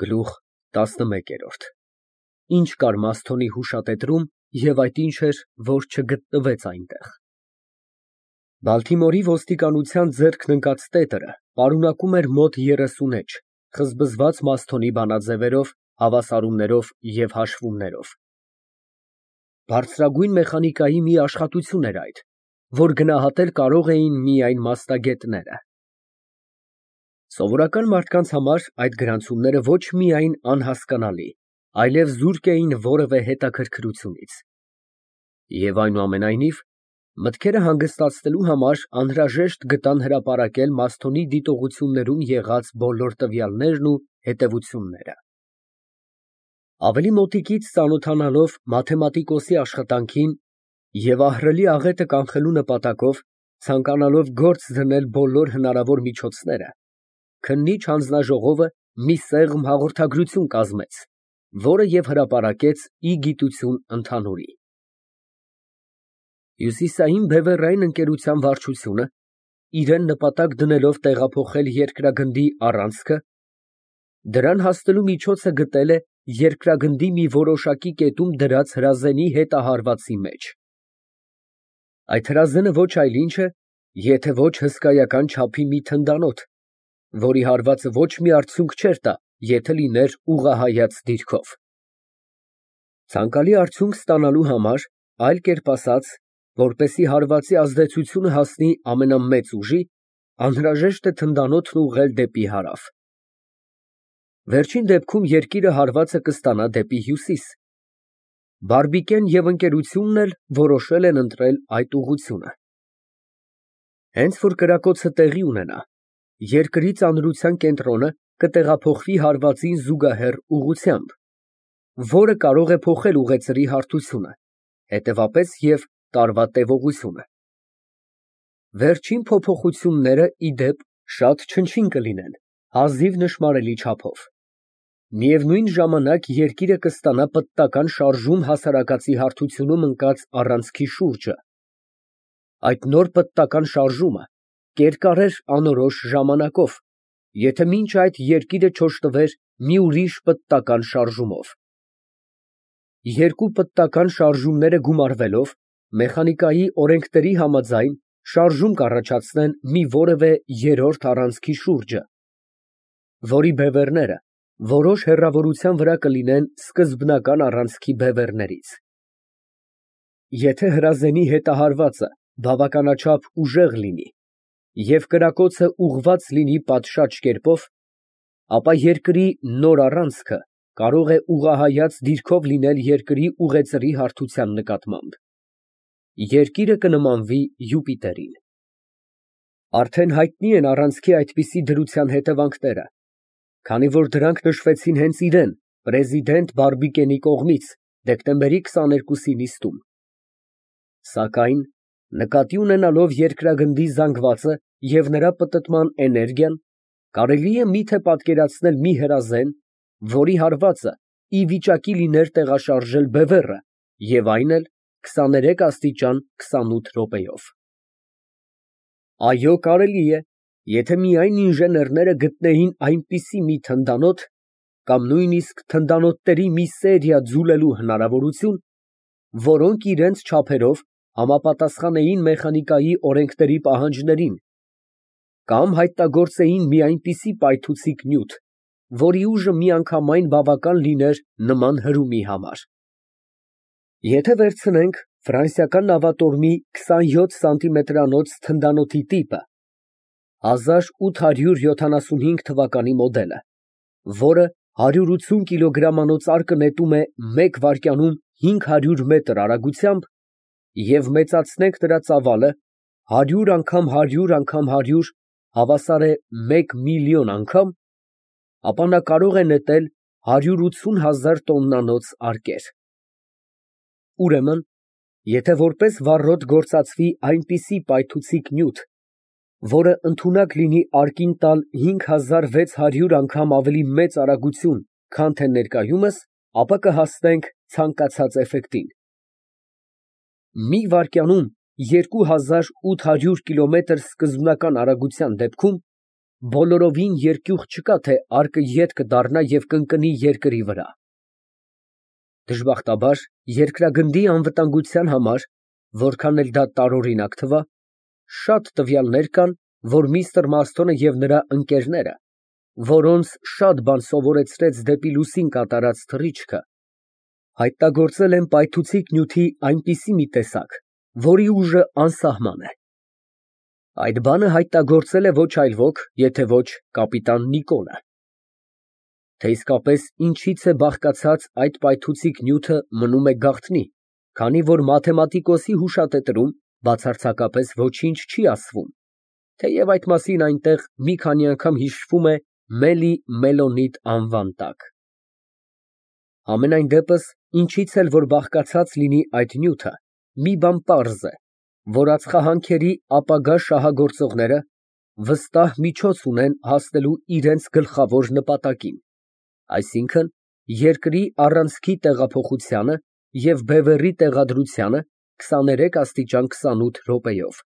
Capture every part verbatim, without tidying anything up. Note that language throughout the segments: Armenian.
Գլուխ տասնմեկ։ Ինչ կար Մասթոնի հուշատետրում և այդ ինչ էր, որ չգտնվեց այնտեղ։ Բալթիմորի ոստիկանության ձեռքն ընկած տետրը պարունակում էր մոտ երեսուն էջ, խզբզված Մասթոնի բանաձևերով, հավասարումներով և հաշվումներով։ Բարձրագույն մեխանիկայի մի աշխատություն էր այդ, որ գնահատել կարող էին միայն մասնագետները։ Սովորական մարդկանց համար այդ գրանցումները ոչ միայն անհասկանալի, այլև զուրկ էին որևէ հետաքրքրությունից։ Եվ այնուամենայնիվ, մտքերը հանգստացնելու համար անհրաժեշտ գտան հրապարակել Մասթոնի դիտողություններում եղած բոլոր տվյալներն ու հետևությունները։ Ավելի մոտիկից ծանոթանալով մաթեմատիկոսի աշխատանքին և ահռելի աղետը կանխելու նպատակով, ցանկանալով գործ դնել բոլոր հնարավոր միջոցները, քննիչ հանձնաժողովը մի սեղմ հաղորդագրություն կազմեց, որը և հրապարակեց ի գիտություն ընդհանուրի։ Հյուսիսային բևեռային ընկերության վարչությունը, իրան նպատակ դնելով տեղափոխել երկրագնդի առանցքը, դրան հասնելու միջոցը գտել է երկրագնդի մի որոշակի կետում դրած հրազենի հետահարվածի մեջ։ Այդ հրազենը ոչ այլ ինչ է, եթե ոչ հսկայական չափի մի թնդանոթ, որի հարվածը ոչ մի արդյունք չէր տա, եթե լիներ ուղղահայաց դիրքով։ Ցանկալի արդյունք ստանալու համար, այլ կերպ ասած, որպեսզի հարվածի ազդեցությունը հասնի ամենամեծ ուժի, անհրաժեշտ է թնդանոթն ուղղել դեպի հարավ։ Վերջին դեպքում երկիրը հարվածը կստանա դեպի հյուսիս։ Բարբիկեն և ընկերությունն էլ որոշել են ընտրել այդ ուղղությունը։ Հենց որ կրակոցը տեղի ունենա, երկրի ծանրության կենտրոնը կտեղափոխվի հարվածին զուգահեռ ուղղությամբ, որը կարող է փոխել ուղեծրի հարթությունը, հետևապես և տարվա տևողությունը։ Վերջին փոփոխությունները, ի դեպ, շատ չնչին կլինեն, հազիվ նշմարելի չափով։ Միևնույն ժամանակ երկիրը կստանա պտտական շարժում հասարակածի հարթությունում ընկած առանցքի շուրջը։ Այդ նոր պտտական շարժումը կերկար էր անորոշ ժամանակով, եթե մինչ այդ երկիրը չօժտվեր մի ուրիշ պտտական շարժումով։ Երկու պտտական շարժումները գումարվելով, մեխանիկայի օրենքների համաձայն, շարժում կառաջացնեն մի որևէ երրորդ առանցքի շուրջը, որի բևեռները որոշ հեռավորության վրա կլինեն սկզբնական առանցքի բևեռներից։ Եթե հրազենի հետահարվածը բավականաչափ ուժեղ լինի և կրակոցը ուղղված լինի պատշաճ կերպով, ապա երկրի նոր առանցքը կարող է ուղղահայաց դիրքով լինել երկրի ուղեծրի հարթության նկատմամբ։ Երկիրը կնմանվի Յուպիտերին։ Արդեն հայտնի են առանցքի այդպիսի դրության հետևանքները, քանի որ դրանք նշվեցին հենց իրան, պրեզիդենտ Բարբիկենի կողմից դեկտեմբերի քսաներկուսի նիստում։ Սակայն, նկատի ունենալով երկրագնդի զանգվածը և նրա պտտման էներգիան, կարելի է միթե պատկերացնել մի հրազեն, որի հարվածը ի վիճակի լիներ տեղաշարժել բևեռը և այն էլ քսաներեք աստիճան քսանութ րոպեով։ Այո, կարելի է, եթե միայն ինժեներները գտնեին այնպիսի մի թնդանոթ կամ նույնիսկ թնդանոթների մի սերիա ձուլելու հնարավորություն, որոնք իրենց չափերով համապատասխանեին մեխանիկայի օրենքների պահանջներին, կամ հայտնագործեին մի այնպիսի պայթուցիկ նյութ, որի ուժը միանգամայն բավական լիներ նման հրումի համար։ Եթե վերցնենք ֆրանսիական նավատորմի քսանյոթ սանտիմետրանոց թնդանոթի տիպը, հազար ութ հարյուր յոթանասունհինգ թվականի մոդելը, որը հարյուր ութսուն կիլոգրամանոց արկը նետում է մեկ վայրկյանում հինգ հարյուր մետր արագությամբ, և մեծացնենք նրա ծավալը հարյուր անգամ հարյուր անգամ հարյուր հավասար է մեկ միլիոն անգամ, ապա նա կարող է նետել հարյուր ութսուն հազար տոննանոց արկեր։ Ուրեմն, եթե որպես վառոդ գործածվի այնպիսի պայթուցիկ նյութ, որը ընդունակ լինի արկին տալ հինգ հազար վեց հարյուր անգամ ավելի մեծ արագություն, քան թե ներկայումս, ապա կհասնենք ցանկացած էֆեկտին։ Մի վայրկյանում երկու հազար ութ հարյուր կիլոմետր սկզբնական արագության դեպքում բոլորովին երկյուղ չկա, թե արկը ետ կդառնա և կընկնի երկրի վրա։ Դժբախտաբար, երկրագնդի անվտանգության համար, որքան էլ դա տարօրինակ թվա, շատ տվյալներ կան, որ միստր Մասթոնը և նրա ընկերները, որոնց շատ բան սովորեցրեց դեպի լուսին կատարած թռիչքը, հայտնագործել են պայթուցիկ նյութի այնպիսի մի տեսակ, որի ուժը անսահման է։ Այդ բանը հայտնագործել է ոչ այլ ոք, եթե ոչ կապիտան Նիկոլը։ Թե իսկապես ինչից է բաղկացած այդ պայթուցիկ նյութը մնում է գաղտնի, քանի որ մաթեմատիկոսի հուշատետրում բացարձակապես ոչինչ չի ասվում, թեև այդ մասին այնտեղ մի քանի անգամ հիշվում է Մելի Մելոնիտ անվան տակ։ Համենայն դեպս, ինչից էլ որ բաղկացած լինի այդ նյութը, մի բան պարզ է, որ ածխահանքերի ապագա շահագործողները վստահ միջոց ունեն հասնելու իրենց գլխավոր նպատակին, այսինքն երկրի առանցքի տեղափոխությանը և բևեռի տեղադրությանը քսաներեք աստիճան քսանութ րոպեով։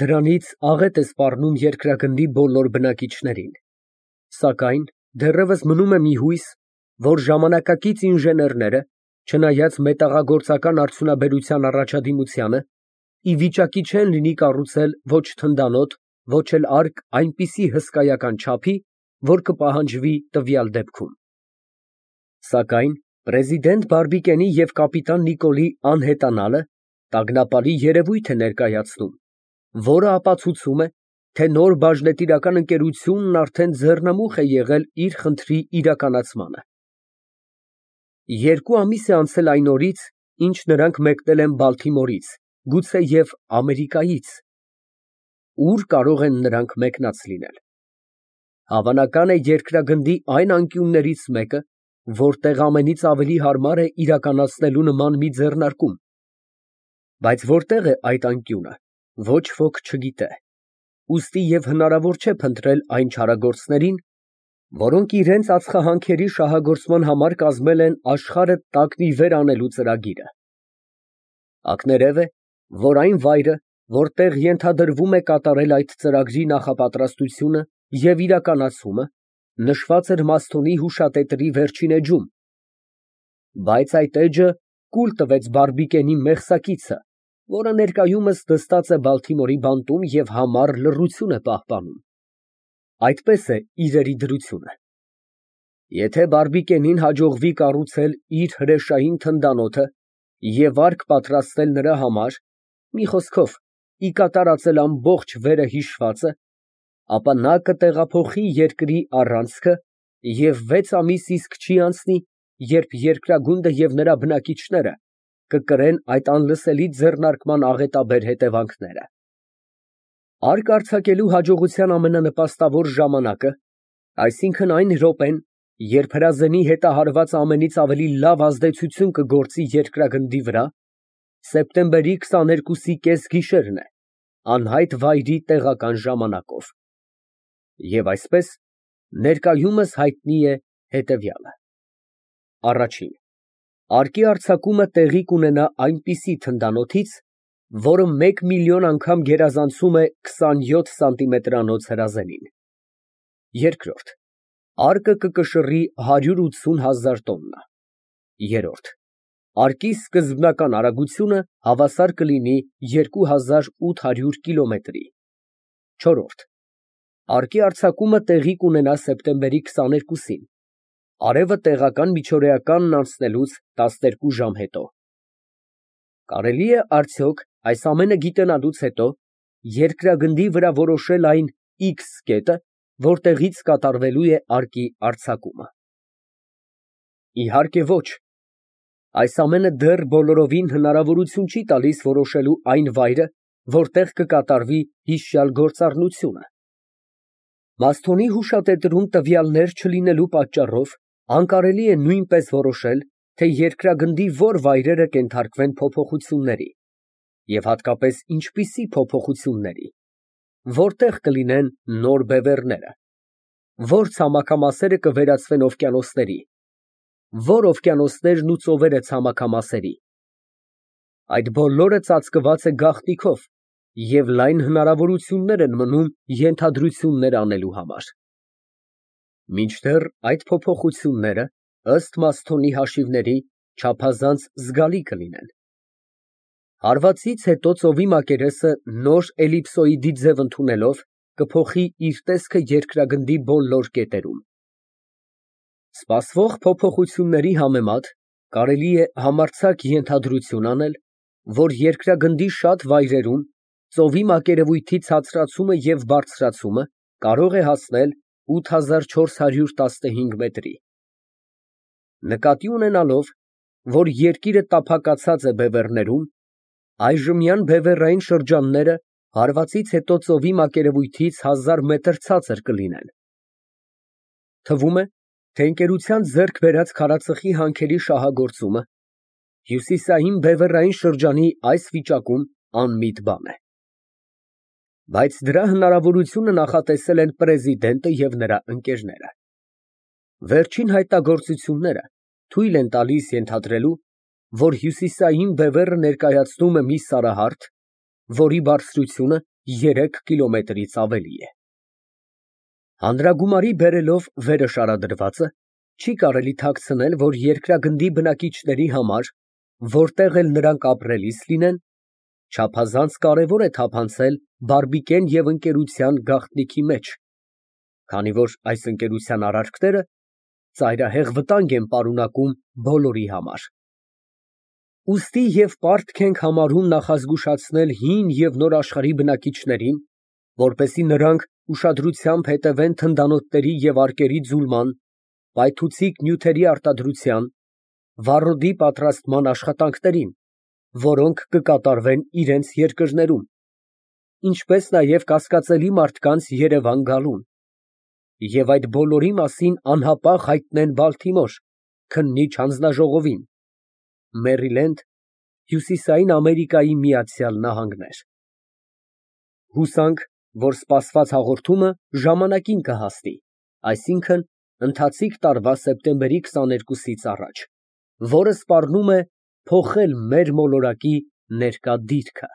Դրանից աղետ է սպառնում երկրագնդի բոլոր բնակիչներին, սակայն դեռևս մնում է մի հույս, որ ժամանակակից ինժեներները, չնայած մետաղագործական արդյունաբերության առաջադիմությանը, ի վիճակի չեն լինի կառուցել ոչ թնդանոթ, ոչ էլ արկ այնպիսի հսկայական չափի, որ կպահանջվի տվյալ դեպքում։ Սակայն պրեզիդենտ Բարբիկենի և կապիտան Նիկոլի անհետանալը տագնապալի երևույթ է ներկայացնում, որը ապացուցում է, թե նոր բաժնետիրական ընկերությունն արդեն ձեռնամուխ է եղել իր խնդրի իրականացմանը։ Երկու ամիս է անցել այն օրից, ինչ նրանք մեկնել են Բալթիմորից, գուցեև Ամերիկայից։ Ո՞ւր կարող են նրանք մեկնած լինել։ Հավանական է երկրագնդի այն անկյուններից մեկը, որտեղ ամենից ավելի հարմար է իրականացնելու նման մի ձեռնարկում։ Բայց որտեղ է այդ անկյունը, ոչ ոք չգիտե, ուստի և հնարավոր չէ փնտրել այն չարագործներին, որոնք իրենց ածխահանքերի շահագործման համար կազմել են աշխարհը տակնի վեր անելու ծրագիրը։ Ակներև է, որ այն վայրը, որտեղ ենթադրվում է կատարել այդ ծրագրի նախապատրաստությունը և իրականացումը, նշված էր Մասթոնի հուշատետրի վերջին էջում, բայց այդ էջը կուլ տվեց Բարբիկենի մեղսակիցը, որը ներկայումս նստած է Բալթիմորի բանտում և համառ լռություն է պահպանում։ Այդպես է իրերի դրությունը։ Եթե Բարբիկենին հաջողվի կառուցել իր հրեշային թնդանոթը և արկ պատրաստել նրա համար, մի խոսքով, ի կատարածել ամբողջ վերը հիշվածը, ապա նա կտեղափոխի երկրի առանցքը և վեց ամիս իսկ չի անցնի, երբ երկրագունդը և նրա բնակիչները կկրեն այդ անլսելի ձեռնարկման աղետաբեր հետևանքները։ Արկ արձակելու հաջողության ամենանպաստավոր ժամանակը, այսինքն այն րոպեն, երբ հրազենի հետահարված ամենից ավելի լավ ազդեցություն կգործի երկրագնդի վրա, սեպտեմբերի քսաներկուսի կեսգիշերն է, անհայտ վայրի տեղական ժամանակով։ Եվ այսպես, ներկայումս հայտնի է հետևյալը. Առաջին. Արկի արձակումը տեղի կունենա այնպիսի թնդանոթից, որը մեկ միլիոն անգամ գերազանցում է քսանյոթ սանտիմետրանոց հրազենին։ Երկրորդ. Արկը կկշռի հարյուր ութսուն հազար տոննա։ Երրորդ. Արկի սկզբնական արագությունը հավասար կլինի երկու հազար ութ հարյուր կիլոմետրի։ Չորրորդ. Արկի արձակումը տեղի կունենա սեպտեմբերի քսաներկուսին, արևը տեղական միջօրեականն անցնելուց տասներկու ժամ հետո։ Կարելի է արդյոք այս ամենը գիտենալուց հետո երկրագնդի վրա որոշել այն X կետը, որտեղից կատարվելու է արկի արձակումը։ Իհարկե ոչ։ Այս ամենը դեռ բոլորովին հնարավորություն չի տալիս որոշելու այն վայրը, որտեղ կկատարվի հիշյալ գործառնությունը։ Մասթոնի հուշատետրում տվյալներ չլինելու պատճառով անկարելի է նույնպես որոշել, թե երկրագնդի որ վայրերը կենթարկվեն փոփոխությունների, և հատկապես ինչպիսի փոփոխությունների, որտեղ կլինեն նոր բևեռները, որ ցամաքամասերը կվերածվեն օվկիանոսների, որ օվկիանոսներն ու ծովերը ցամաքամասերի։ Այդ բոլորը ծածկված է գաղտնիքով, և լայն հնարավորություններ են մնում ենթադրություններ անելու համար։ Մինչդեռ այդ փոփոխությունները, ըստ Մասթոնի հաշիվների, չափազանց զգալի կլինեն։ Հարվածից հետո ծովի մակերեսը նոր էլիպսոիդի ձև ընդունելով կփոխի իր տեսքը երկրագնդի բոլոր կետերում։ Սպասվող փոփոխությունների համեմատ կարելի է համարձակ ենթադրություն անել, որ երկրագնդի շատ վայրերում ծովի մակերևույթի ցածրացումը և բարձրացումը կարող է հասնել ութ հազար չորս հարյուր տասնհինգ մետրի։ Նկատի ունենալով, որ երկիրը տափակացած է բևեռներում, այժմյան բևեռային շրջանները հարվածից հետո ծովի մակերևույթից հազար մետր ցածր կլինեն։ Թվում է, թե ընկերության ձեռք բերած քարածխի հանքերի շահագործումը հյուսիսային բևեռային շրջանի այս վիճակում անմիտ բան է։ Բայց դրա հնարավորությունը նախատեսել են պրեզիդենտը և նրա ընկերները։ Վերջին հայտնագործությունները թույլ են տալիս ենթադրելու, որ հյուսիսային բևեռը ներկայացնում է մի սարահարթ, որի բարձրությունը երեք կիլոմետրից ավելի է։ Հանրագումարի բերելով վերը շարադրվածը, չի կարելի թաքցնել, որ երկրագնդի բնակիչների համար, որտեղ էլ նրանք ապրելիս լինեն, չափազանց կարևոր է թափանցել բարբիկեն և ընկերության գաղտնիքի մեջ, քանի որ այս ընկերության արարքները ծայրահեղ վտանգ են պարունակում բոլորի համար։ Ուստի և պարտք ենք համարում նախազգուշացնել հին և նոր աշխարհի բնակիչներին, որպեսզի նրանք ուշադրությամբ հետևեն թնդանոթների և արկերի ձուլման, պայթուցիկ նյութերի արտադրության, վառոդի պատրաստման աշխատանքներին, որոնք կկատարվեն իրենց երկրներում, ինչպես նաև կասկածելի մարդկանց Երևան գալուն, և այդ բոլորի մասին անհապաղ հայտնեն Բալթիմոր, քննիչ հանձնաժողովին, Մերիլենդ, Հյուսիսային Ամերիկայի Միացյալ Նահանգներ։ Հուսանք, որ սպասված հաղորդումը ժամանակին կհասնի, այսինքն՝ ընթացիկ տարվա սեպտեմբերի քսաներկուսից առաջ, որը սպառնում է փոխել մեր մոլորակի ներկա դիրքը։